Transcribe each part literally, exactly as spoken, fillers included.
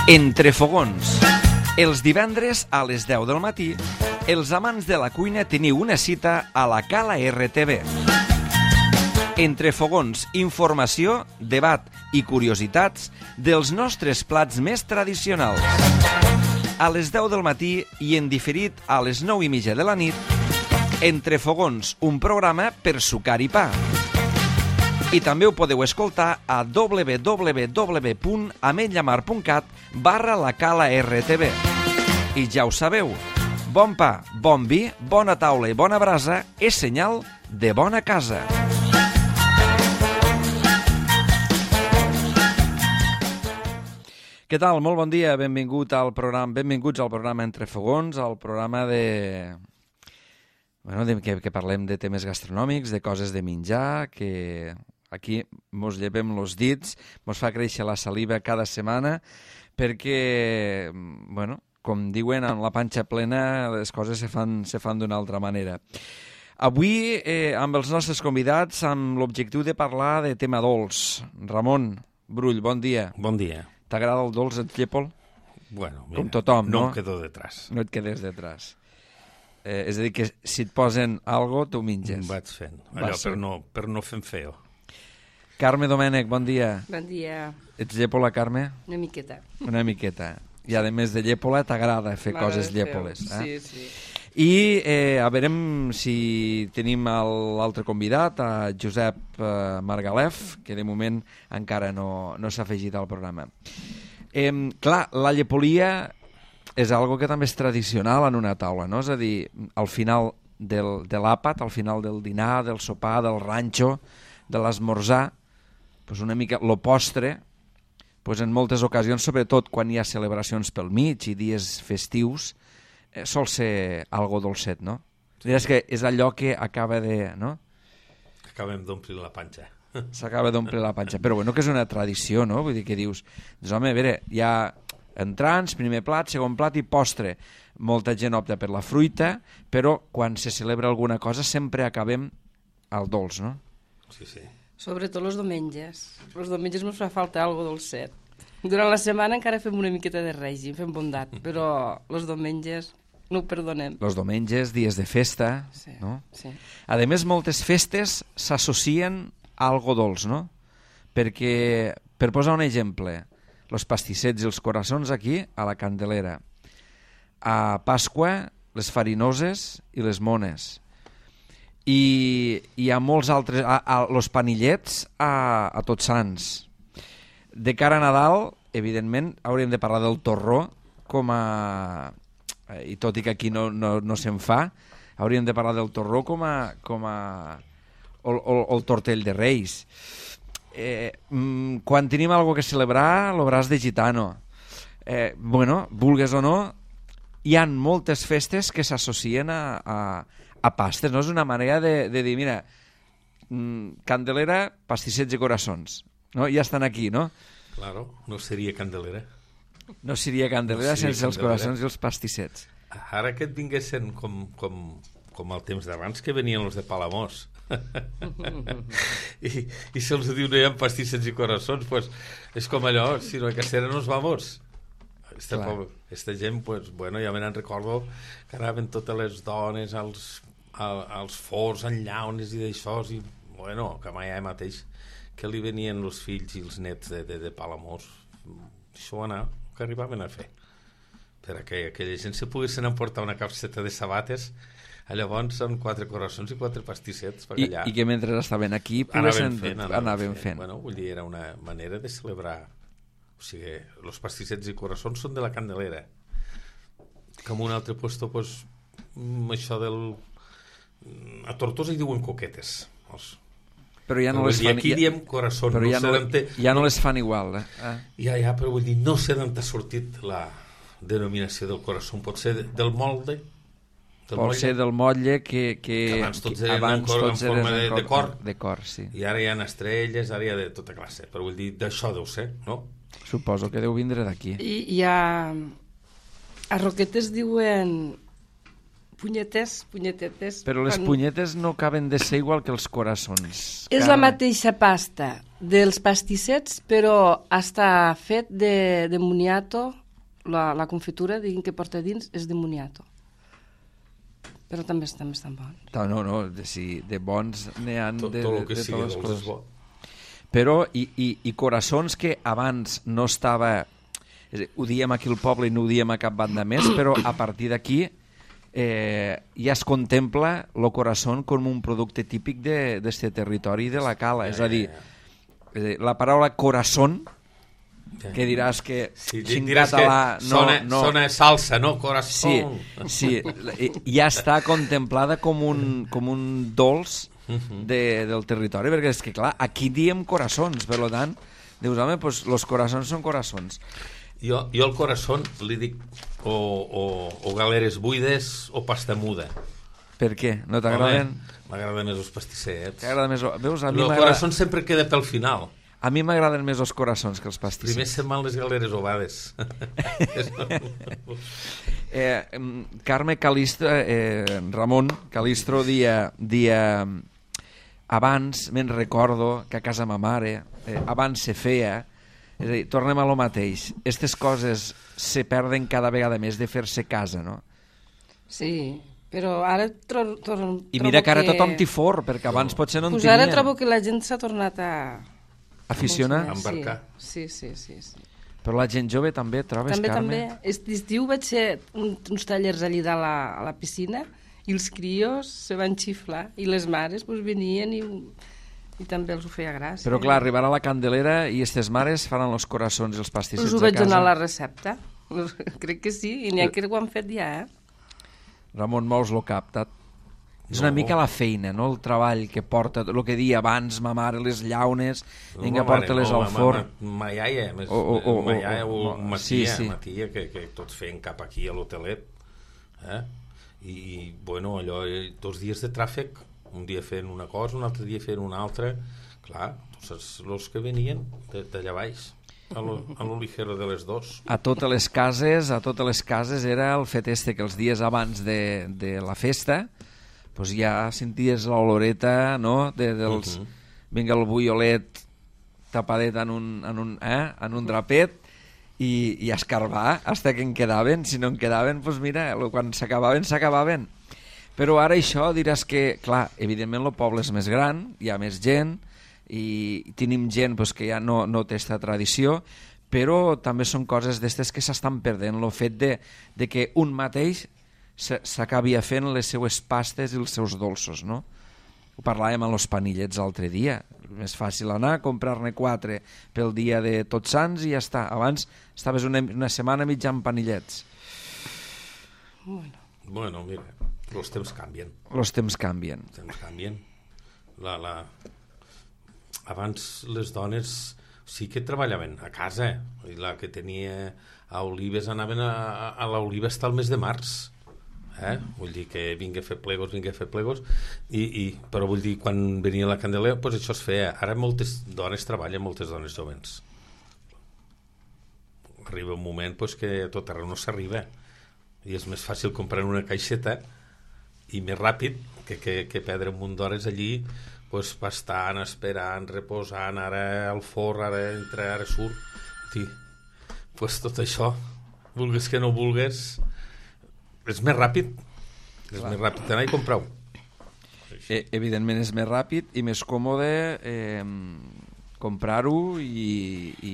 Entre fogons. Els divendres a les deu del matí, els amants de la cuina teniu una cita a la Cala R T V. Entre fogons, informació, debat i curiositats dels nostres plats més tradicionals. A les deu del matí i en diferit a les nou i mitja de la nit, Entre fogons, un programa per sucar i pa. I també ho podeu escoltar a w w w punt ametlllamar punt cat barra la Cala R T V. I ja ho sabeu, bon pa, bon vi, bona taula i bona brasa és senyal de bona casa. Què tal? Molt bon dia, benvingut al programa, benvinguts al programa Entre fogons, al programa de... Bueno, de, que, que parlem de temes gastronòmics, de coses de menjar, que aquí mos llevem els dits, mos fa créixer la saliva cada setmana, perquè, bueno, com diuen, amb la panxa plena les coses se fan, se fan d'una altra manera. Avui, eh, amb els nostres convidats, amb l'objectiu de parlar de tema dolç. Ramon Brull, bon dia. Bon dia. T'agrada el dolç, et llépol? Bueno, mira, com tothom, no? No em quedo detrás. No et quedes detrás. Eh, és a dir, que si et posen algo, tu menges. Vaig fent, allò per no, per no fer feo. Carme Domènech, bon dia. Bon dia. Ets llepola, Carme? Una miqueta. Una miqueta. I a més de llepola t'agrada fer coses llepoles. Eh? Sí, sí. I eh, a veurem si tenim l'altre convidat, a Josep eh, Margalef, que de moment encara no, no s'ha afegit al programa. Eh, clar, la llepolia és algo que també és tradicional en una taula, no? És a dir, al final del, de l'àpat, al final del dinar, del sopar, del ranxo, de l'esmorzar, pues una mica lo postre, pues en moltes ocasions, sobretot quan hi ha celebracions pel mig i dies festius, eh, sol ser algo dolcet, no? Sí. És que és allò que acaba de... No? Acabem d'omplir la panxa. S'acaba d'omplir la panxa. Però bueno, que és una tradició, no? Vull dir que dius, doncs, home, a veure, hi ha entrants, primer plat, segon plat i postre. Molta gent opta per la fruita, però quan se celebra alguna cosa sempre acabem al dolç, no? Sí, sí. Sobretot els diumenges. Els diumenges ens fa falta algo dolcet. Durant la setmana encara fem una miqueta de règim, fem bondat, però els diumenges no ho perdonem. Els diumenges, dies de festa, sí, no? Sí. A més, moltes festes s'associen a algo dolç, no? Perquè, per posar un exemple, els pastissets i els coraçons aquí, a la Candelera. A Pasqua, les farinoses i les mones. I hi ha molts altres... A, a, los panillets a, a Tots Sants. De cara a Nadal, evidentment, hauríem de parlar del torró com a... I tot i que aquí no, no, no se'n fa, hauríem de parlar del torró com a... Com a o, o, o el tortell de Reis. Eh, mm, quan tenim alguna que celebrar, el braç de gitano. Eh, bueno, vulgues o no, hi ha moltes festes que s'associen a, a, a pastes, no? És una manera de, de dir, mira, mm, Candelera, pastissets i coraçons, no? Ja estan aquí, no? Claro, no seria Candelera. No seria Candelera no seria sense Candelera. Els coraçons i els pastissets. Ara que et vinguessin com, com, com el temps d'abans, que venien els de Palamós. I, i se'ls diu no hi ha pastissets i coraçons, pues és com allò, si no hay que hacer nos vamos. Esta, poble, esta gent, pues, bueno, ja me n'en recordo que anaven totes les dones als, a, als forts, en llaunes i d'això, i bueno, que mai hi mateix que li venien els fills i els nets de, de, de Palamós, això anar, que arribaven a fer perquè aquella gent se poguessin emportar una capseta de sabates. Llavors són quatre coraçons i quatre pastissets per I, allà. I que mentre estaven aquí anaven fent, anaven, anaven fent. fent. Bueno, vull dir, era una manera de celebrar. O sigui, els pastissets i coraçons són de la Candelera. Que en un altre puesto, pues, això del... A Tortosa hi diuen coquetes. Els... Però ja no les fan... aquí diem coraçons. Però no ja, no, te... ja no les fan igual. Eh? Ah. Ja, ja, però vull dir, no sé d'on t'ha sortit la denominació del coraçó. Pot ser del molde... Del Pot molle. Ser del motlle que, que, que abans tots eren abans en, cor, tots en forma de, de, de cor, de cor sí. I ara hi ha estrelles, ara hi ha de tota classe, però vull dir, d'això deu ser, no? Suposo que deu vindre d'aquí. I hi ha... A Roquetes diuen Punyetes, punyetetes... Però les quan... punyetes no acaben de ser igual que els coraçons. És Carme. la mateixa pasta dels pastissets, però està fet de, de moniato, la, la confitura, diguin que porta dins, és de moniato. Però també, també estan bons. No, no, de, si, de bons n'hi ha de, Tot, de, tot el que de sigui totes les dolç és coses. bo. Però, i, i, i coraçons que abans no estava... És a dir, ho diem aquí al poble i no ho diem a cap banda més, però a partir d'aquí eh, ja es contempla el corazón com un producte típic d'aquest territori de la Cala. És a dir, és a dir la paraula corazón, que diràs que sí, en diràs català que no, sona, no... sona salsa, no? Corazón. Sí, sí, ja està contemplada com un, com un dolç de, del territori, perquè és que clar, aquí diem coraçons, per tant, dius, home, pues, los coraçons són coraçons. Jo, jo al corazón li dic o, o, o galeres buides o pasta muda. Per què? No t'agraden? M'agraden més els pastissets. T'agrada més... Veus, a mi El corazón sempre queda pel final. A mi m'agraden més els coraçons que els pastissets. Primer se'n van les galeres ovades. eh, Carme Calistro, eh, Ramon Calistro dia, dia abans me'n recordo que a casa ma mare eh, abans se feia. És a dir, tornem a lo mateix. Aquestes coses se perden cada vegada més de fer-se casa, no? Sí, però ara tro trobo I mira que ara que... tothom t'hi for, perquè abans potser no en pues tenien. ara trobo que la gent s'ha tornat a... Aficionar? A embarcar. Sí, sí, sí, sí. Però la gent jove també, trobes, També, Carme? també. Aquest estiu vaig fer un, uns tallers allà a la, a la piscina i els crios se van xiflar i les mares pues, venien i, i també els ho feia gràcia. Però clar, arribarà la Candelera i aquestes mares faran els coraçons i els pastissets us ho a vaig casa. donar la recepta. Crec que sí, i n'hi ha que ho han fet ja, eh? Ramon, mous lo cap. Ta... És No. una mica la feina, no? El treball que porta, el que deia abans, ma mare, les llaunes, vinga, ma mare, porta-les no, al ma- forn. Ma, ma iaia, més, O- o- o- ma iaia o- o, o- ma sí, tia, sí. ma tia que, que tots feien cap aquí a l'hotelet. Eh? I, I, bueno, allò, eh, dos dies de tràfic, un dia fent una cosa, un altre dia fent una altra. Clar, tots els que venien d'allà baix, a lo, a lo ligero de les dos. A totes les cases, a totes les cases era el fet este que els dies abans de, de la festa pues ja senties l'oloreta, no?, de, dels... Uh -huh. Vinga el buiolet tapadet en un, en un, eh? en un drapet i, i escarbar hasta que en quedaven. Si no en quedaven, pues mira, quan s'acabaven, s'acabaven. Però ara això diràs que, clar, evidentment el poble és més gran, hi ha més gent i tenim gent pues, que ja no, no té aquesta tradició, però també són coses d'estes que s'estan perdent, el fet de, de que un mateix s'acabi fent les seues pastes i els seus dolços, no? Ho parlàvem amb els panillets l'altre dia. Més fàcil anar, comprar-ne quatre pel dia de Tots Sants i ja està. Abans estaves una, una setmana mitjant panillets. Bueno. Bueno, mira, els temps canvien. Els temps canvien. Els temps canvien. La, la... Abans les dones sí que treballaven a casa. I la que tenia a Olives anaven a, a, a l'Oliva fins al mes de març. Eh? Vull dir que vinga a fer plegos, vinga a fer plegos, i, i, però vull dir, quan venia la Candelera, pues això es feia. Ara moltes dones treballen, moltes dones jovens. Arriba un moment pues, que a tot arreu no s'arriba, i és més fàcil comprar una caixeta i més ràpid que, que, que perdre un munt d'hores allí pues, pastant, esperant, reposant, ara al forn, ara entra, ara surt. Sí. Pues tot això, vulgues que no vulgues, és més ràpid, és Clar. més ràpid anar i comprar-ho. Eh, evidentment és més ràpid i més còmode eh, comprar-ho i, i...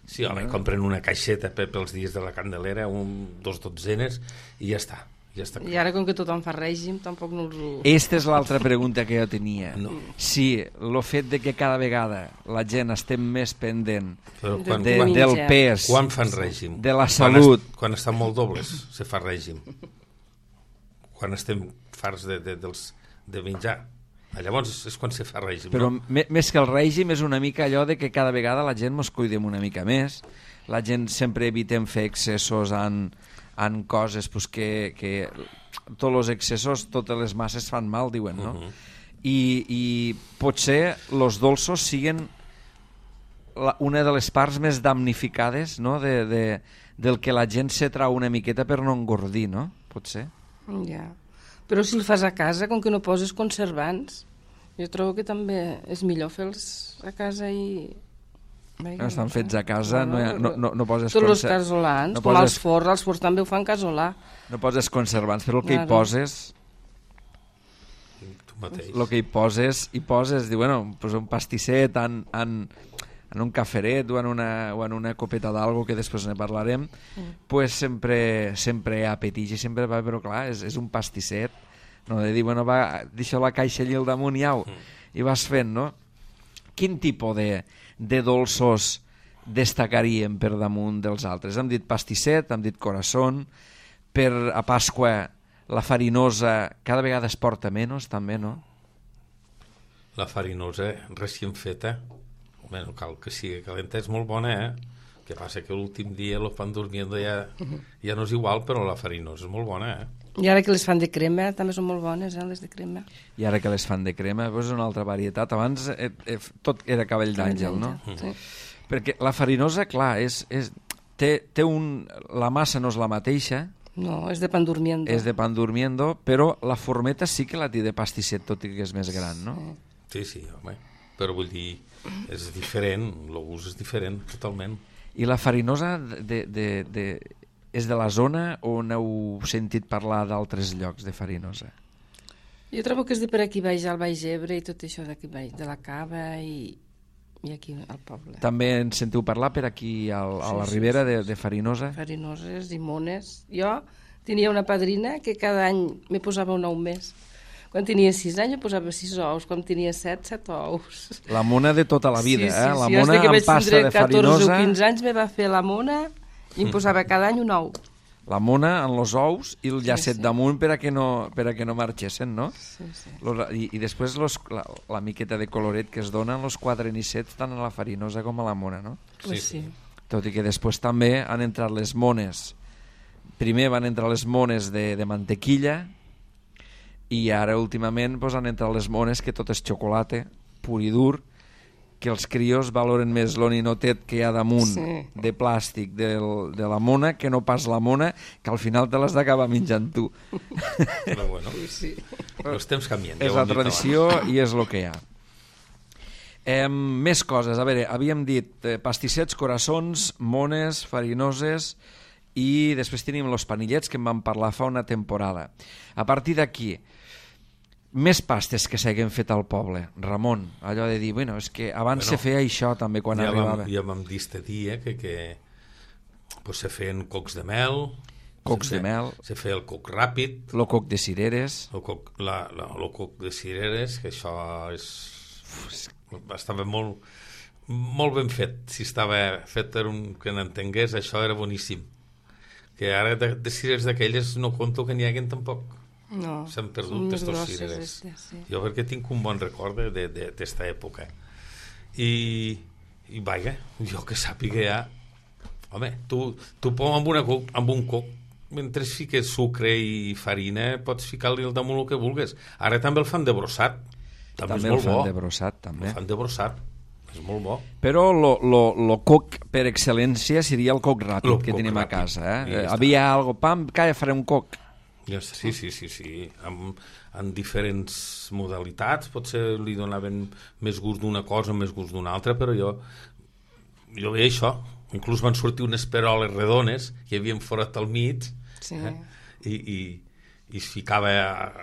Sí, home, compren una caixeta pels dies de la Candelera, un, dos dotzenes i ja està. Ja està. I ara com que tothom fa règim tampoc no els ho... Esta és l'altra pregunta que jo tenia. No. Si el fet de que cada vegada la gent estem més pendent Però quan, de, quan, del pes, quan fan règim? de la salut... Quan, es, quan estan molt dobles se fa règim. Quan estem farts de, de, dels, de menjar. Llavors és quan se fa règim. Però no? més que el règim és una mica allò de que cada vegada la gent mos cuidem una mica més, la gent sempre evitem fer excessos en, en coses pues, que, que tots els excessos, totes les masses fan mal, diuen, no? Uh -huh. I, i potser els dolços siguen la, una de les parts més damnificades, no? de, de, del que la gent se trau una miqueta per no engordir, no? Potser. Ja. Però si el fas a casa, com que no poses conservants, jo trobo que també és millor fer-los a casa i... No estan fets a casa, no, hi ha, no, no, no poses... Tots els casolans, no com poses, els forns, els forns també ho fan casolà. No poses conservants, però el que Claro. hi poses... Tu mateix. El que hi poses, hi poses, diu, bueno, pues un pastisset en, en, en un caferet o en una, o en una copeta d'algo, que després ne parlarem, mm. pues sempre, sempre hi ha apetit i sempre va, però clar, és, és un pastisset, no de dir, bueno, va, deixa la caixa allà al damunt i au, mm. i vas fent, no? Quin tipus de, de dolços destacaríem per damunt dels altres? Hem dit pastisset, hem dit corazón, per a Pasqua la farinosa cada vegada es porta menys, també, no? La farinosa, recient feta, home, no cal que sigui calenta, és molt bona, eh? Que passa que l'últim dia lo fan durmiendo ja, ja no és igual, però la farinosa és molt bona, eh? I ara que les fan de crema, també són molt bones, eh, les de crema. I ara que les fan de crema, doncs és una altra varietat. Abans eh, eh, tot era cabell d'àngel, no? Sí. Perquè la farinosa, clar, és, és, té, té un... la massa no és la mateixa, No, és de pan durmiendo. és de pan durmiendo, però la formeta sí que la té de pastisset, tot i que és més gran, no? Sí, sí, home. Però vull dir, és diferent, el gust és diferent, totalment. I la farinosa de, de, de, és de la zona o n'heu sentit parlar d'altres llocs de farinosa? Jo trobo que és de per aquí baix, al Baix Ebre i tot això d'aquí baix, de la Cava i, i aquí al poble. També en sentiu parlar per aquí al, a la Sí, sí, Ribera sí, de, sí. de farinoses? Farinoses i mones. Jo tenia una padrina que cada any me posava un ou més. Quan tenia sis anys em posava sis ous, quan tenia set, set ous. La mona de tota la vida, sí, sí, eh? La sí, mona que amb vaig pasta tindre de catorze farinosa... o quinze anys me va fer la mona i em posava cada any un ou. La mona en els ous i el llacet sí. damunt per a que no, per a que no marxessin, no? Sí, sí. Los, i, I després los, la, la miqueta de coloret que es donen els quatre nissets tant a la farinosa com a la mona, no? Pues sí. Tot i que després també han entrat les mones. Primer van entrar les mones de, de mantequilla i ara últimament pues, han entrat les mones que tot és xocolata pur i dur, que els crios valoren més l'oninotet que hi ha damunt Sí. de plàstic del, de la mona que no pas la mona, que al final te l'has d'acabar menjant tu. Però bueno, Sí. els temps canvien. ja És ho la hem dit tradició i és el que hi ha. Eh, més coses. A veure, havíem dit eh, pastissets, coraçons, mones, farinoses i després tenim els panillets que en vam parlar fa una temporada. A partir d'aquí, més pastes que s'hagin fet al poble. Ramon, allò de dir, bueno, és que abans Bueno, se feia això també quan ja arribava. Vam, ja vam dir este dia que, que pues, se feien cocs de mel, Cocs se de fe- mel. se feia el coc ràpid, Lo coc de cireres. el coc, la, la, el coc de cireres, que això és... estava molt, molt ben fet. Si estava fet per un que n'entengués, això era boníssim. Que ara de, de cireres d'aquelles no conto que n'hi haguin tampoc. No, S'han són perdut més estos grosses, cireres. estes, sí. Jo perquè tinc un bon record de- de- d'esta època. I, i vaja, jo que sàpiga ja... Home, tu, tu pom amb, una, co- amb un coc, mentre fiques sucre i farina, pots ficar-li al damunt el que vulguis. Ara també el fan de brossat. També, També és el molt fan bo. de brossat, també. El fan de brossat. És molt bo. Però lo, lo, lo coc per excel·lència seria el coc ràpid Lo que coc tenim a ràpid. casa. Eh? I ja està. Havia algo, pam, calla, faré un coc. Ja està. Sí, sí, sí, sí. Amb, en diferents modalitats. Potser li donaven més gust d'una cosa, més gust d'una altra, però jo, jo veia això. Inclús van sortir unes peroles redones que hi havia forat al mig, Sí. eh? I, i, i es ficava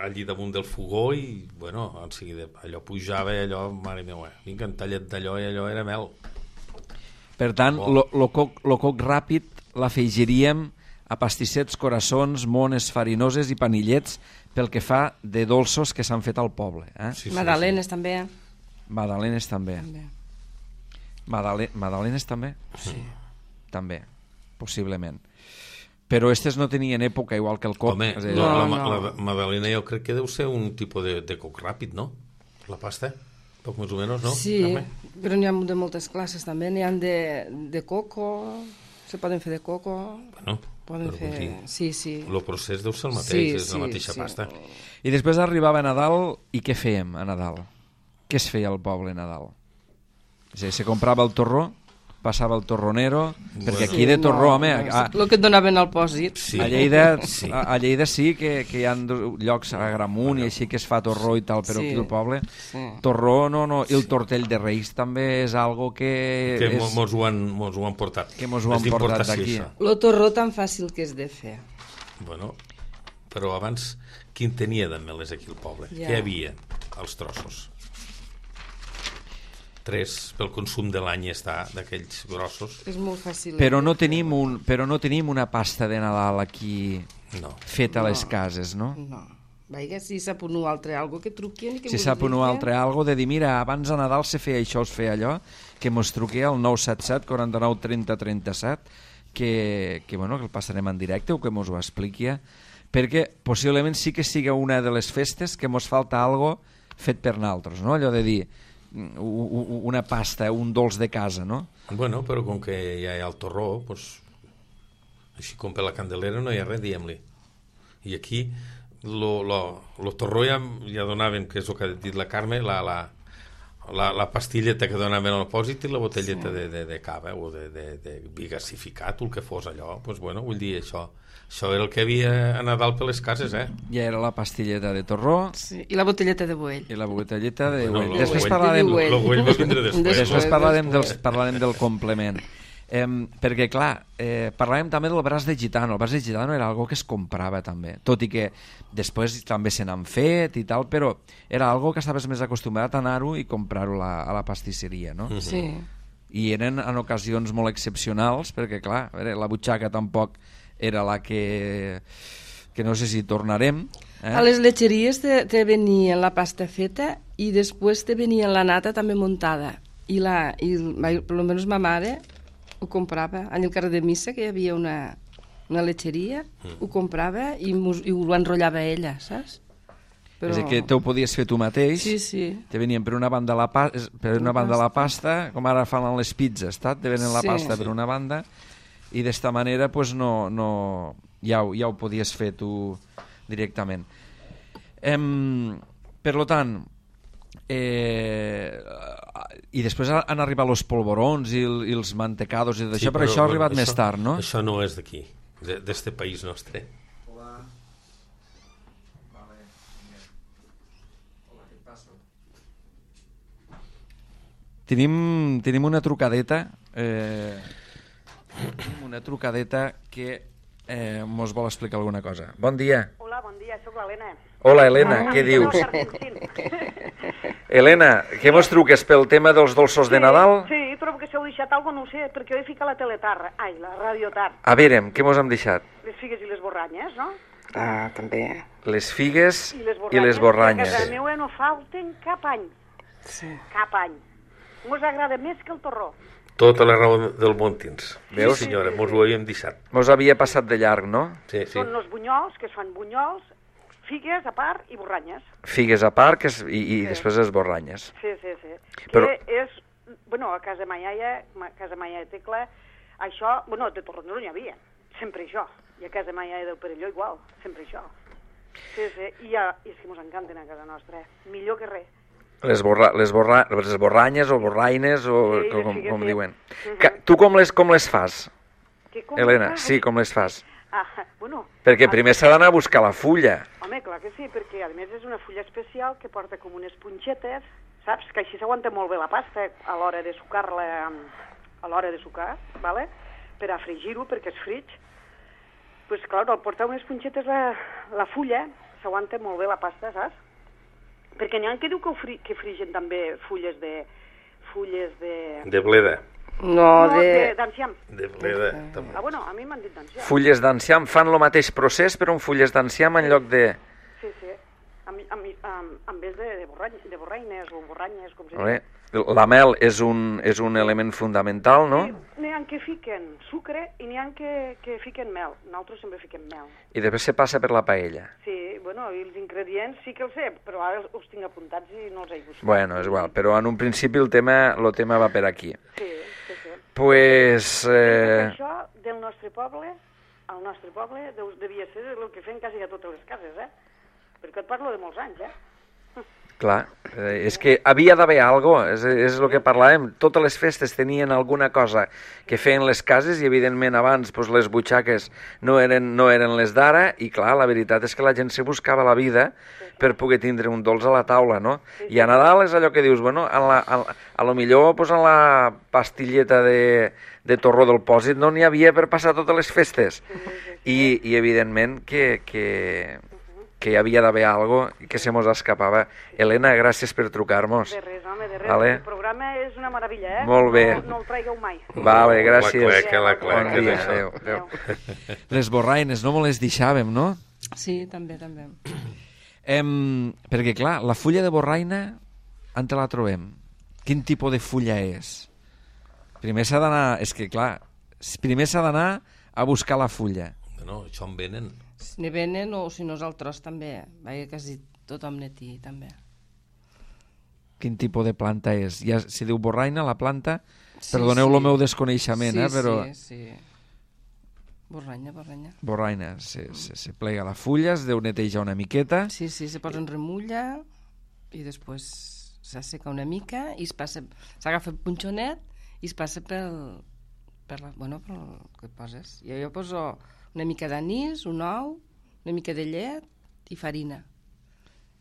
allí damunt del fogó i, bueno, en seguida allò pujava i allò, mare meva, vinga, un tallet d'allò i allò era mel. Per tant, Bo. lo, lo, coc, lo coc ràpid l'afegiríem a pastissets, coraçons, mones, farinoses i panillets pel que fa de dolços que s'han fet al poble. Eh? Sí, sí, Madalenes també. Madalenes també. també. Madale Madalenes també? Sí. També, possiblement. Però aquestes no tenien època igual que el coc. Home, És a dir, no, la, no. la, la Madalena jo crec que deu ser un tipus de, de coc ràpid, no? La pasta, poc més o menys, no? Sí, Carme? però n'hi ha de moltes classes també. N'hi ha de, de coco, se poden fer de coco, Bueno, poden però fer... vull dir, Sí, sí. el procés deu ser el mateix, Sí, és sí, la mateixa sí. pasta. I després arribava Nadal i què fèiem a Nadal? Què es feia al poble a Nadal? És a dir, se comprava el torró, passava el torronero, Bueno. perquè aquí de torró, home... A, El que et donaven al pòsit. Sí. a, Lleida, Sí. a, a Lleida sí que, que hi ha llocs a Gramunt i així que es fa torró i tal, però Sí. aquí al poble... Sí. Torró, no, no, i el tortell de Reis també és algo que... Que és, mo- mos ho han, mos ho han portat. Que mos ho han És portat d'importació, d'aquí. això. El torró tan fàcil que és de fer. Bueno, però abans, quin tenia de meles aquí al poble? Ja. Què hi havia als trossos? Tres pel consum de l'any està, d'aquells grossos. És molt fàcil. Però no tenim un, però no tenim una pasta de Nadal aquí No. feta a No. les cases, no? No. Vaja, si sap un altre algo que truquin i que Si mos sap un diuen. altre algo de dir, mira, abans a Nadal se feia això, es feia allò, que mos truqui al nou set set, quaranta-nou, trenta, trenta-set, que, que, bueno, que el passarem en directe o que mos ho expliqui, perquè possiblement sí que siga una de les festes que mos falta algo fet per naltros, no? Allò de dir, u- u- una pasta, un dolç de casa, no? Bueno, però com que ja hi ha el torró, doncs, així com per la Candelera no hi ha res, diguem-li. I aquí lo, lo, lo torró ja, ja donaven, que és el que ha dit la Carme, la, la, la, la pastilleta que donaven al pòsit i la botelleta sí. de, de, de cava o de, de, de vi gasificat o el que fos allò. Pues bueno, vull dir, això, això era el que havia a Nadal per les cases, eh? Ja era la pastilleta de torró Sí. I la botelleta de buell. i la botelleta de Bueno, güell. lo Després güell- parlarem, de güell. Lo güell va vindre després. Després. després parlarem, dels, parlarem del complement. Eh, perquè, clar, eh, parlàvem també del braç de gitano. El braç de gitano era algo que es comprava també, tot i que després també se n'han fet i tal, però era algo que estaves més acostumat a anar-ho i comprar-ho la, a la pastisseria, no? Sí. I eren en ocasions molt excepcionals, perquè, clar, a veure, la butxaca tampoc era la que... que no sé si tornarem. Eh? A les letxeries te, te venia la pasta feta i després te venia la nata també muntada. I, la, i per lo menos ma mare ho comprava. En el carrer de Missa, que hi havia una, una letxeria, mm. ho comprava i, mos, i ho enrotllava ella, saps? Però... És a dir, que te ho podies fer tu mateix. Sí, sí. Te venien per una banda la, pa... per una banda la pasta, com ara fan les pizzas, saps? Te venen la Sí. pasta per una banda i d'esta manera pues, no, no... Ja, ho, ja ho podies fer tu directament. Em... Per lo tant, eh... i després han arribat els polvorons i, el, i els mantecados i d'això, sí, però, però això ha arribat això, més tard, no? Això no és d'aquí, d'este país nostre. Hola. Vale. Hola, què et passa? Tenim, tenim una trucadeta, eh, tenim una trucadeta que eh, mos vol explicar alguna cosa. Bon dia. Hola, bon dia, sóc l'Helena. Hola, Helena, Ah, què no, dius? Sargentín. Helena, què mos truques pel tema dels dolços de Nadal? Sí, sí, trobo que s'heu deixat alguna cosa, no ho sé, perquè ho he ficat a la teletar, ai, la radiotar, A veure, què mos hem deixat? les figues i les borranyes, no? Ah, també. Les figues I les i les borranyes. Que a casa meva no falten cap any, Sí. cap any. Mos agrada més que el torró. Tota la raó del món tens. Veus? Sí, senyora, mos ho havíem deixat. Mos havia passat de llarg, no? Sí, sí. Són els bunyols, que es fan bunyols, figues a part i borranyes. Figues a part que és, i, i després les borranyes. Sí, sí, sí. Però- Que és, bueno, a casa ma iaia, a casa ma iaia Tecla, això, bueno, de torronero n'hi havia, sempre això. I a casa ma iaia del Perelló igual, sempre això. Sí, sí, i, a, i és que mos encanten a casa nostra, millor que res. Les, borra, les, borra, les borranyes o borraines o Sí, com, sí, sí, com sí. diuen. Mhm. Que, tu com les, com les fas, Que com Helena? fa? Sí, com les fas? Ah, bueno, Perquè a- primer s'ha d'anar a buscar la fulla. Home, clar que sí, perquè a més és una fulla especial que porta com unes punxetes, saps? Que així s'aguanta molt bé la pasta a l'hora de sucar-la, a l'hora de sucar, vale? Per a fregir-ho, perquè és frig. Pues clar, al portar unes punxetes la, la fulla, s'aguanta molt bé la pasta, saps? Perquè n'hi ha que diu que, fri, que frigen també fulles de... fulles de... De bleda. No, no, de... de d'enciam. De bleda. també. Ah, bueno, a mi m'han dit d'enciam. Fulles d'enciam fan el mateix procés, però amb fulles d'enciam en lloc de... Sí, sí. En, en, en, en vez de, de, borrany, de borraines o borranyes, com se Vale. diu. La mel és un, és un element fundamental, no? Sí, n'hi ha que fiquen sucre i n'hi ha que, que fiquen mel. Nosaltres sempre fiquem mel. I després se passa per la paella. Sí, bueno, i els ingredients sí que els sé, però ara els, els tinc apuntats i no els he buscat. Bueno, és igual, però en un principi el tema, el tema va per aquí. Sí, sí, sí. Pues... Eh... Això del nostre poble, al nostre poble, devia ser el que fem quasi a totes les cases, eh? Perquè et parlo de molts anys, eh? Clar, eh, és que havia d'haver alguna cosa, és, és el que parlàvem. Totes les festes tenien alguna cosa que feien les cases i, evidentment, abans pues, les butxaques no eren, no eren les d'ara i, clar, la veritat és que la gent se buscava la vida per poder tindre un dolç a la taula, no? I a Nadal és allò que dius, bueno, a, la, a, a lo millor pues, en la pastilleta de, de torró del pòsit no n'hi havia per passar totes les festes. I, i evidentment, que... que que hi havia d'haver alguna cosa que se mos escapava. Helena, gràcies per trucar-nos. De res, home, de res. Vale. El programa és una meravella, eh? Molt bé. No, no el traigueu mai. Vale, gràcies. La cleca, la cleca. Bon dia, adéu, adéu. Les borraines, no me les deixàvem, no? Sí, també, també. Em, perquè, clar, la fulla de borraina, on te la trobem? Quin tipus de fulla és? Primer s'ha d'anar... És que, clar, primer s'ha d'anar a buscar la fulla. No, això en venen. Ne venen o si nosaltres també. Vaja, quasi tothom ne té, també. Quin tipus de planta és? Ja si diu borraina, la planta... Sí, Perdoneu sí. el meu desconeixement, sí, eh, però... Sí, sí. Borranya, borranya. Borraina, se, se, se plega la fulla, es deu netejar una miqueta... Sí, sí, se posa en remulla i després s'asseca una mica i es passa... S'agafa el punxonet i es passa pel... per la, bueno, pel que poses. Jo, jo poso una mica d'anís, un ou, una mica de llet i farina.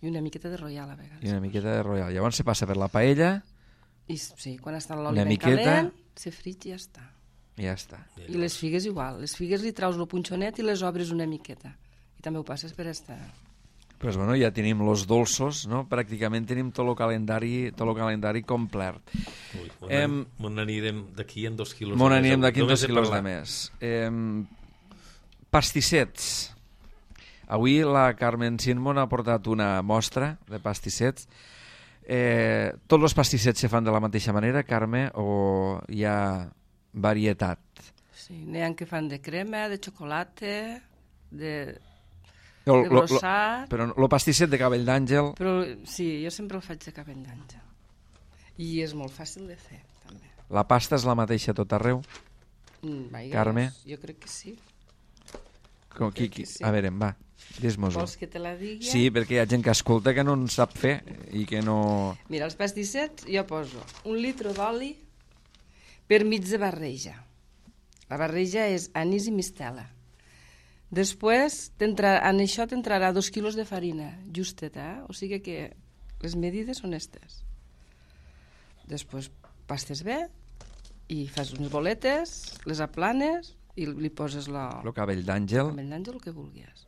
I una miqueta de royal a vegades. I una miqueta de royal. Llavors se passa per la paella... I sí, quan està l'oli ben miqueta... calent, se frit i ja està. I ja està. I les figues igual. Les figues li traus el punxonet i les obres una miqueta. I també ho passes per estar... Pues bueno, ja tenim los dolços, no? Pràcticament tenim tot el calendari, tot el calendari complet. Ui, Em... Mon anirem d'aquí en dos quilos Mon de més. anirem d'aquí en Només dos he quilos de parlat. més. Em... Pastissets. Avui la Carmen Sinmon ha portat una mostra de pastissets. Eh, tots els pastissets se fan de la mateixa manera, Carme, o hi ha varietat? Sí, n'hi ha que fan de crema, de xocolata, de, Lo, de lo, lo, brossat... però el pastisset de cabell d'àngel... Però sí, jo sempre el faig de cabell d'àngel. I és molt fàcil de fer, també. La pasta és la mateixa tot arreu? Mm, vaja, Carme? Jo crec que sí. Com, qui, qui? sí. A veure, va, dis-mos-ho. Vols que te la digui? Sí, perquè hi ha gent que escolta que no en sap fer i que no... Mira, els pastissets jo poso un litre d'oli per mig de barreja. La barreja és anís i mistela. Després, en això t'entrarà dos quilos de farina, justeta, eh? O sigui que les medides són estes. Després pastes bé i fas unes boletes, les aplanes i li poses la... El cabell d'àngel, el cabell d'àngel, el que vulguis.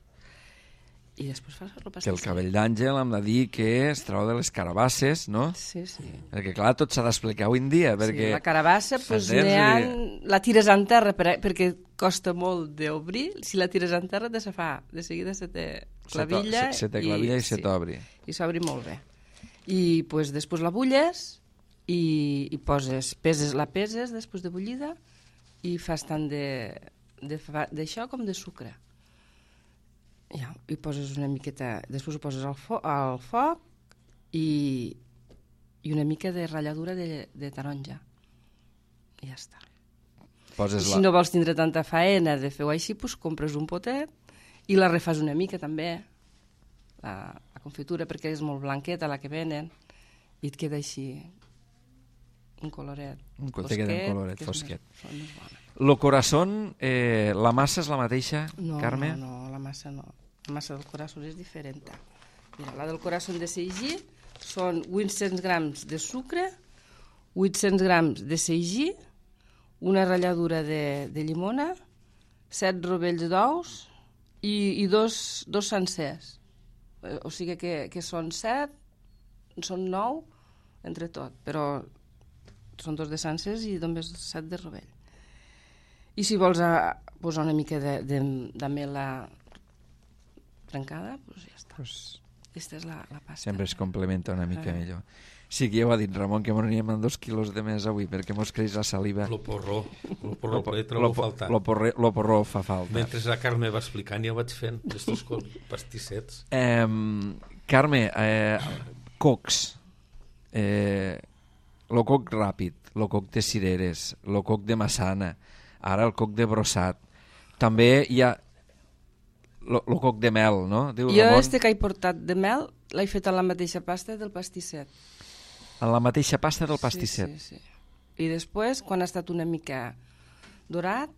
I després fas el que pastisset. el cabell d'àngel hem de dir que es trau de les carabasses, no? Sí, sí. Perquè clar, tot s'ha d'explicar avui en dia, perquè... Sí, la carabassa, pues, Entens? n'hi ha, la tires en terra per, perquè costa molt d'obrir. Si la tires en terra, de se fa, de seguida se té clavilla, se, se té clavilla i, i se sí, t'obri. i s'obri molt bé. I pues, després la bulles i, i poses, peses, la peses després de bullida i fas tant d'això com de sucre. Ja, i poses una miqueta, després ho poses al, fo al foc i, i una mica de ratlladura de, de taronja. I ja està. Poses I si la... no vols tindre tanta faena de fer-ho així, doncs compres un potet i la refas una mica també, la, la confitura, perquè és molt blanqueta la que venen i et queda així un coloret Un fosquet. te queda un coloret que és fosquet. Més, són més bona. Lo corazón, eh, la massa és la mateixa, No, Carme? no, no, la massa no. La massa del corazón és diferent. Mira, la del corazón de seigí són vuit-cents grams de sucre, vuit-cents grams de seigí, una ratlladura de, de llimona, set rovells d'ous i, i dos, dos sencers. O sigui que, que són set, són nou, entre tot, però són dos de sencers i només set de rovell. I si vols a, posar una mica de, de, de mela trencada, doncs ja està. Pues Aquesta és la, la pasta. sempre es complementa una mica Ah. millor. Sí que ja ho ha dit Ramon, que m'aniríem amb dos quilos de més avui, perquè mos creix la saliva. Lo porró, lo porró, Lo, lo, trobo lo, faltar. lo, porre, lo porró fa falta. Mentre la Carme va explicant, ja vaig fent estos pastissets. Eh, Carme, eh, cocs. Eh, lo coc ràpid, lo coc de cireres, lo coc de massana, ara el coc de brossat. També hi ha el coc de mel, no? Diu Jo Ramon, este que he portat de mel l'he fet a la mateixa pasta del pastisset. en la mateixa pasta del pastisset. Sí, sí, sí. I després, quan ha estat una mica dorat,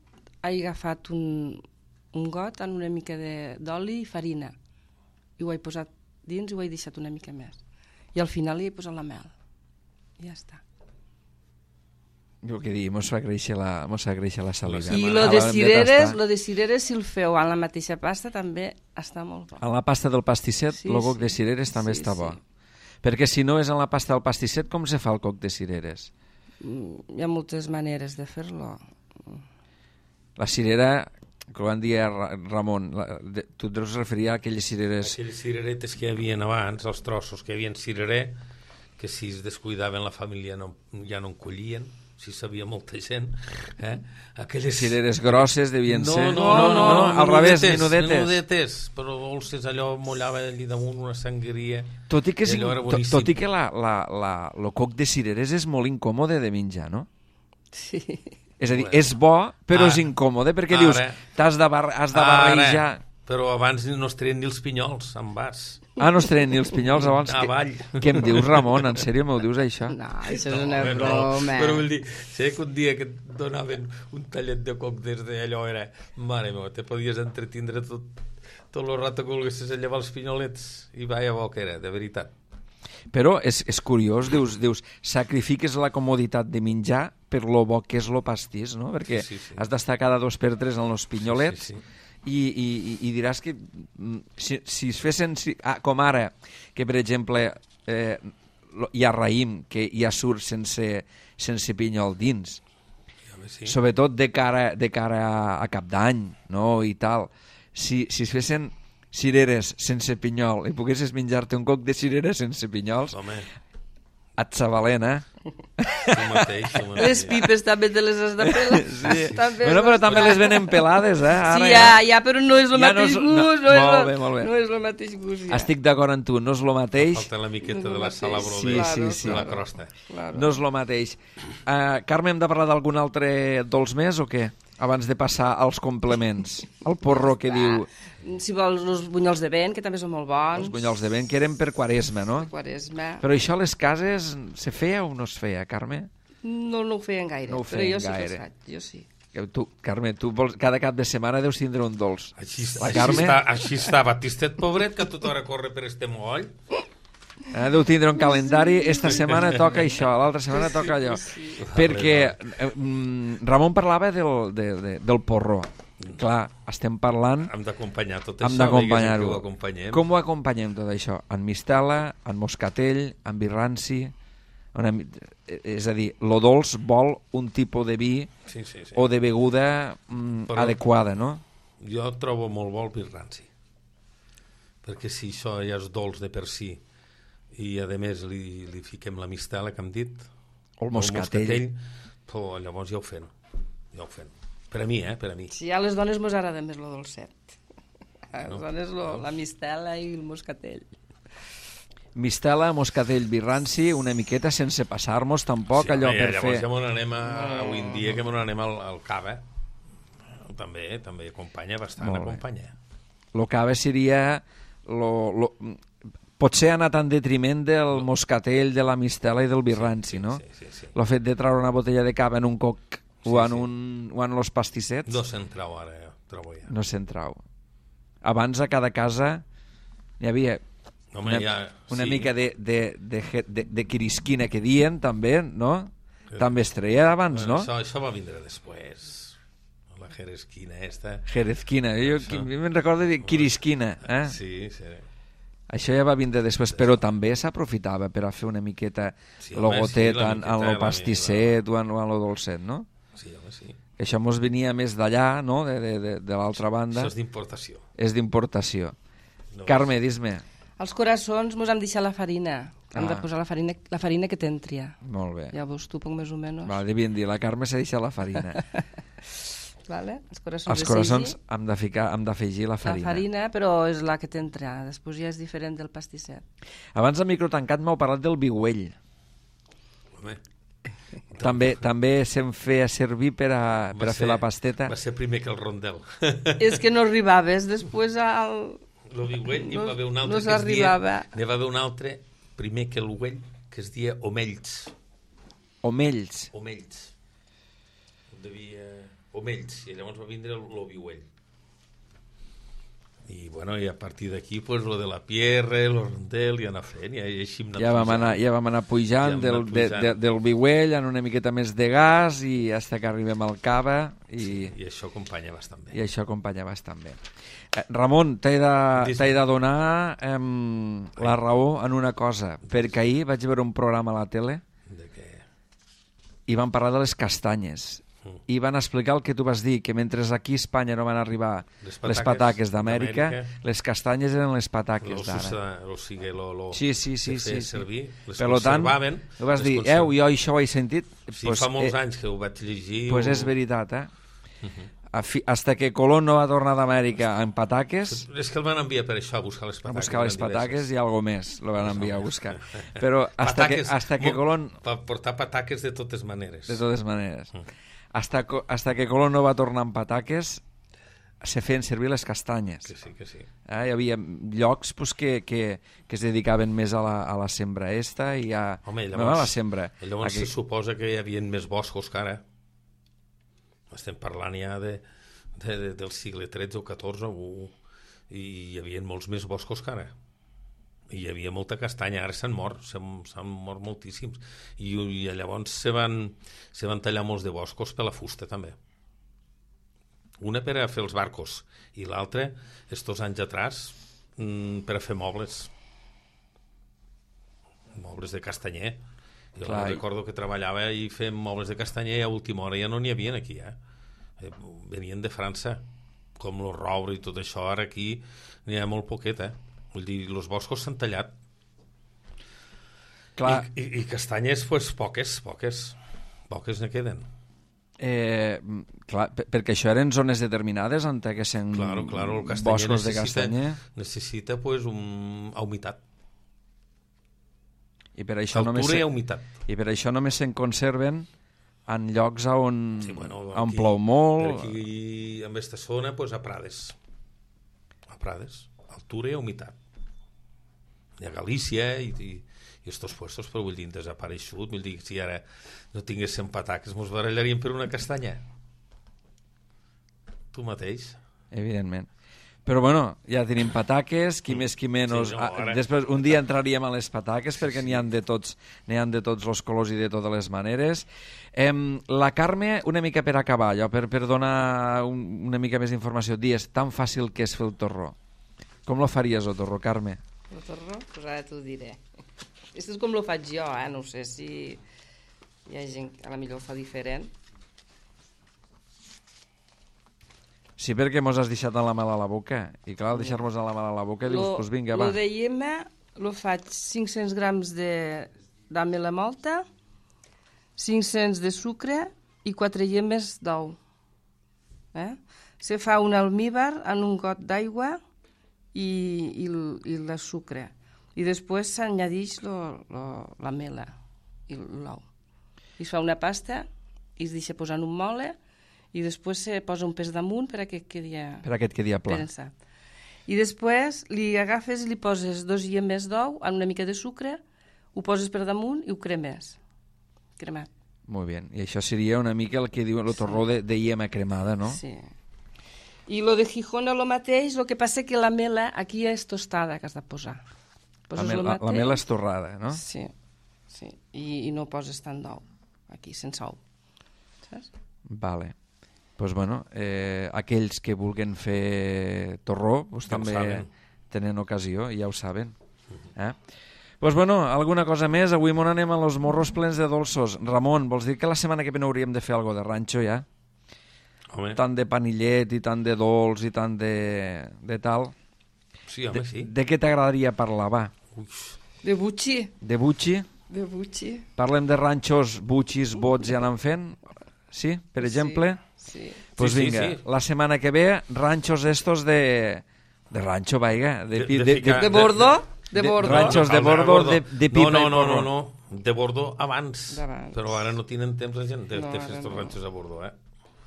he agafat un, un got amb una mica d'oli i farina. I ho he posat dins i ho he deixat una mica més. I al final hi he posat la mel. I ja està. Jo què dir, mos fa créixer la, mos fa créixer la saliva. I Ah, lo de l'hem cireres, tastar. lo de cireres, si el feu en la mateixa pasta, també està molt bo. En la pasta del pastisset, Sí, el coc sí. de cireres també Sí, està sí. bo. Perquè si no és en la pasta del pastisset, com se fa el coc de cireres? Mm, Hi ha moltes maneres de fer-lo. La cirera, que ho van dir a Ra- Ramon, la, de, tu et deus referir a aquelles cireres... Aquelles cireretes que hi havia abans, els trossos que hi havia cirerer, que si es descuidaven la família no, ja no en collien, si sabia molta gent. Eh? Aquelles Cireres grosses devien no, ser... No, no, no, no, al revés, menudetes, menudetes. menudetes, però dolces, allò mollava allà damunt una sangria. Tot i que, és, I allò era tot, boníssim. tot i que la, la, la, el coc de cireres és molt incòmode de menjar, no? Sí. És a dir, Bueno. és bo, però Ara. és incòmode, perquè Ara. dius, t'has de, bar has de barrejar... Ara, però abans no es treien ni els pinyols en vas. Ah, no es treien ni els pinyols abans? Avall. Que, què em dius, Ramon? En sèrio m'ho dius, això? No, això és una home, broma. Però vull dir, sé que un dia que et donaven un tallet de coc des d'allò era... Mare meva, te podies entretindre tot, tot el rato que volguessis a llevar els pinyolets i vaya bo que era, de veritat. Però és, és curiós, dius, dius, sacrifiques la comoditat de menjar per lo bo que és lo pastís, no? Perquè Sí, sí, sí. has d'estar cada dos per tres en los pinyolets Sí, sí, sí. I, i, i- i diràs que mm, si, si es fessin, si, ah, com ara, que per exemple eh, lo- hi ha raïm que ja surt sense, sense pinyol dins, Home, sí. sobretot de cara, de cara a, a cap d'any, no? I tal. Si, si es fessin cireres sense pinyol i poguessis menjar-te un coc de cireres sense pinyols, Home, et s'avalen, eh? tu mateix, tu mateix. Les pipes també te les has de pelar. Sí. També Bueno, però també les venen pelades, eh? Ara Sí, ja, ja, però no és el Ja no mateix és- no- gust. No, és molt el- bé, molt bé. No és el mateix gust, ja. Estic d'acord amb tu, no és el mateix, Falta la miqueta No és de el la mateix. salabro Sí, de, sí, sí. de la crosta. Claro. no és el mateix. Uh, Carme, hem de parlar d'algun altre dolç més o què? Abans de passar als complements. El porró que diu Si vols, els bunyols de vent, que també són molt bons. els bunyols de vent, que eren per Quaresma, no? Quaresma. Però això a les cases se feia o no es feia, Carme? No, no ho feien gaire, No ho però feien jo sí que gaire. els faig, jo sí. Que Tu, Carme, tu vols, cada cap de setmana deus tindre un dolç. Així, La així, Carme? està, així està Batistet, pobret, que tot hora corre per este moll. Eh, deu tindre un calendari, esta setmana toca això, l'altra setmana toca allò. Perquè eh, mm, Ramon parlava del, de, de, del porró. Clar, estem parlant... Hem d'acompanyar tot Hem això. d'acompanyar-ho. diguéssim, que ho acompanyem. Com ho acompanyem tot això? En mistela, en moscatell, en vi ranci... Una, mi- és a dir, lo dolç vol un tipus de vi Sí, sí, sí. o de beguda mm, Però- adequada, no? Jo trobo molt bo el vi ranci. Perquè si això ja és dolç de per si i a més li, li fiquem la mistela que hem dit, O el moscatell. però llavors ja ho fem. Ja ho fem. Per a mi, eh? Per a mi. Sí, a les dones mos agrada més lo dolcet. A les No. dones lo, la mistela i el moscatell. Mistela, moscatell, vi ranci, una miqueta sense passar-nos tampoc Sí, allò home, per llavors fer... ja m'on anem a, avui en dia que m'on anem al, al cava. També, també acompanya bastant, Molt bé. acompanya. Lo cava seria... Lo, lo, potser ha anat en detriment del moscatell, de la mistela i del vi ranci, no? Sí, sí, sí. Lo fet de treure una botella de cava en un coc Sí, o, en sí. un, o en los pastissets, No s'entrau ara, ja, trobo ja. no se'n trau. Abans a cada casa hi havia Home, una, ja, una sí. mica de, de, de, de, de, de quirisquina que dien, també, no? Sí. També es treia abans, Bueno, no? Això, això va vindre després. La jeresquina esta. Jerezquina, jo Això. qui- me'n recordo de quirisquina, eh? Sí, sí. Això ja va vindre després, però també s'aprofitava per a fer una miqueta Sí, lo home, gotet sí, la en, en miqueta, lo la pastisset o en, o en lo dolcet, no? Sí, home, sí. Això mos venia més d'allà, no?, de, de, de, de l'altra banda. Això és d'importació. És d'importació. No Carme, dis-me. Els coraçons mos hem deixat la farina. Hem Ah. de posar la farina, la farina que t'entria. Molt bé. Llavors tu, poc més o menys. Va, devien dir, la Carme s'ha deixat la farina. Vale? Els coraçons, Els de coraçons seigi, hem de ficar, hem d'afegir la la farina. farina, però és la que t'entra. Després ja és diferent del pastisset. Abans del micro tancat m'heu parlat del vigüell. Home, També també se'n feia servir per a, per a fer la pasteta. Va ser primer que el rondel. És que no arribaves després al... L'ovigüell, n'hi No- va haver un altre no que es dia... s'arribava. N'hi va haver un altre, primer que l'ovell, que es dia omells. Omells. Omells. Devia... Omells, i llavors va vindre l'ovigüell. I, bueno, i a partir d'aquí, pues, lo de la pierre, el rondel, i anar fent, i així hem anat Ja vam pujant. anar, ja vam anar pujant, Ja hem del, anat de, pujant. de, del Viuell en una miqueta més de gas i hasta que arribem al Cava i, I això acompanya bastant bé. i això acompanya bastant bé. Eh, Ramon, t'he de, Dis- t'he de donar eh, la raó en una cosa, perquè ahir vaig veure un programa a la tele De què? i van parlar de les castanyes i van explicar el que tu vas dir, que mentre aquí a Espanya no van arribar Les les pataques pataques d'Amèrica, d'Amèrica, les castanyes eren les Lo, pataques d'ara. susa, o sigui, lo, lo, Sí, sí, sí, que feia sí, sí. servir, les Per tant, conservaven. ho vas les dir, conserv- eu, jo això ho he sentit. Sí, pues, fa molts eh, anys que ho vaig llegir. pues ho... és veritat, eh? A fi, hasta que Colón no va tornar d'Amèrica amb pataques, És que el van enviar per això, a buscar les a pataques. buscar les eren pataques diverses. i algo més lo van enviar a buscar. Però hasta que, Pataques, hasta que mo- Colón, Per portar pataques de totes maneres. de totes maneres, hasta, co- hasta que Colón no va tornar amb pataques, se feien servir les castanyes. Que sí, que sí. Eh? Hi havia llocs pues, que, que, que es dedicaven més a la, a la sembra esta i a... Home, no llavors, a la sembra. llavors Aquí. se suposa que hi havia més boscos que ara. Estem parlant ja de, de, de, del segle tretze o catorze o, i hi havia molts més boscos que ara. I hi havia molta castanya, ara s'han mort, s'han s'han mort moltíssims. I, i llavors se van, se van tallar molts de boscos per la fusta també. Una per a fer els barcos i l'altra, estos anys atrás, mm, per a fer mobles. Mobles de castanyer. Jo Clar, i- recordo que treballava i fem mobles de castanyer i a última hora ja no n'hi havia aquí, eh? Eh, venien de França, com el roure i tot això. Ara aquí n'hi ha molt poquet, eh? Vull dir, els boscos s'han tallat. Clar, I, i, I castanyes, pues, poques, poques. Poques ne queden. eh, clar, per- perquè això eren zones determinades on haguessin Claro, claro, el castanyer boscos de necessita, castanyer necessita pues, un, a humitat. i per això només Altura se, i a humitat. i per això només se'n conserven en llocs on, Sí, bueno, on aquí- plou Per molt. aquí, en aquesta zona, pues, a Prades. A Prades. Altura i a humitat. I a Galícia i, i, i estos puestos, però vull dir, desapareixut. Vull dir, si ara no tinguéssim pataques, mos barallaríem per una castanya. Tu mateix. Evidentment. Però bueno, ja tenim pataques, qui més qui menys. Sí, no, Ah, ara- després un dia entraríem a les pataques perquè n'hi han de tots, n'hi han de tots els colors i de totes les maneres. Em, la Carme, una mica per acabar, allò, per, per donar un, una mica més d'informació, dies tan fàcil que és fer el torró. Com lo faries, el torró, Carme? El torró? Pues ara t'ho diré. Això és com lo faig jo, eh? No sé si hi ha gent que a la millor ho fa diferent. Sí, perquè mos has deixat en la mala a la boca. I clar, al deixar-nos en la mala a la boca, dius, doncs pues vinga, va. Lo de llima lo faig cinc-cents grams de d'amela molta, cinc-cents de sucre i quatre llemes d'ou. Eh? Se fa un almíbar en un got d'aigua i, i, l- i el sucre. I després s'añadix lo- lo- la mela i l'ou. I es fa una pasta i es deixa posar en un mole i després se posa un pes damunt per a que quedi Per aquest que dia pla. prensat. I després li agafes i li poses dos llemes d'ou amb una mica de sucre, ho poses per damunt i ho cremes. Cremat. Molt bé. I això seria una mica el que diuen el torró de, de iema cremada, no? Sí. I lo de Gijona lo mateix, el que passa que la mela aquí és tostada que has de posar. La, Poses mel, lo la, la mateix. mel és torrada, no? Sí, sí. I, i no poses tant d'ou aquí, sense ou. Saps? Vale. Pues bueno, eh, aquells que vulguen fer torró pues Ja ho també saben. tenen ocasió i ja ho saben. Eh? Pues bueno, alguna cosa més? Avui mon anem a los morros plens de dolços. Ramon, vols dir que la setmana que ve no hauríem de fer algo de ranxo ja? Home, Tant de panillet i tant de dolç i tant de, de tal. sí, home, De, sí. de què t'agradaria parlar, va? Ui, De butxi. De butxi? De butxi. Parlem de ranxos, butxis, bots i anant fent? Sí, per exemple? Sí. Pues Sí, sí, vinga, sí. la setmana que ve, ranchos estos de... De rancho, vaiga. De, De- pi- de de, ficar- De bordo? De de bordo. ranxos de no cal bordo, anar de, de pipa no, no, i no, porro. no, no. De Bordeaux abans, D'abans. però ara no tenen temps la gent de, No, de ara fer estos no. ranxos a Bordeaux, eh?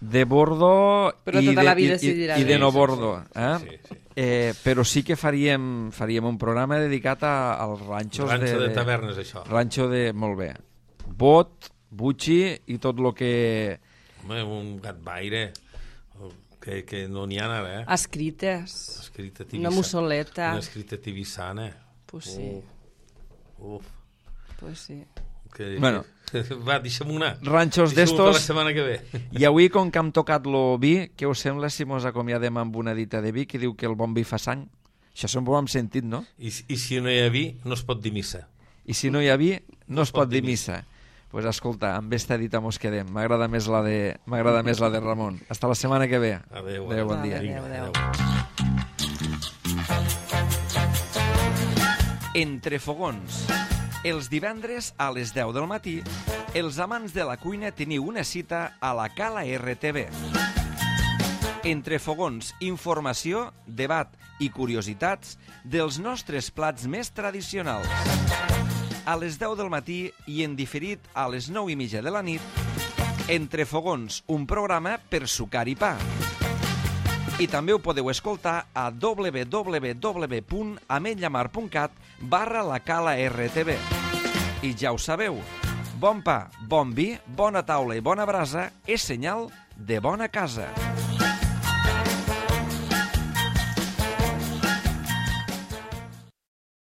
De Bordo Però i tota de, la vida i, s'hi i, dirà i de de- no Sí, sí, Bordo. sí. Eh? Sí, sí. Eh, però sí que faríem, faríem un programa dedicat a, als ranxos Ranxo de, de tavernes, això. Ranxo de... Molt bé. Bot, butxi i tot el que... Home, un gat baire, que, que no n'hi ha ara, eh? Escrites. Escrita Una tibissana. mussoleta. Una escrita tibissana. Pues sí, Uf. pues sí. Que, Bueno. Va, deixa'm una. Ranxos Deixa'm per la d'estos... setmana que ve. I avui, com que hem tocat lo vi, què us sembla si mos acomiadem amb una dita de vi que diu que el bon vi fa sang? Això sempre ho hem sentit, no? I, I si no hi ha vi, no es pot dir missa. I si no hi ha vi, no es pot dir missa. Doncs pues escolta, amb esta dita mos quedem. M'agrada més la de m'agrada més la de Ramon. Hasta la setmana que ve. Adéu. Adéu, bon dia. Adéu, adéu. Entre fogons. Els divendres a les deu del matí, els amants de la cuina teniu una cita a la Cala R T V. Entre fogons, informació, debat i curiositats dels nostres plats més tradicionals. A les deu del matí i en diferit a les nou i mitja de la nit, Entre fogons, un programa per sucar i pa. I també ho podeu escoltar a w w w punt ametlllamar punt cat barra la Cala R T V. I ja ho sabeu, bon pa, bon vi, bona taula i bona brasa és senyal de bona casa.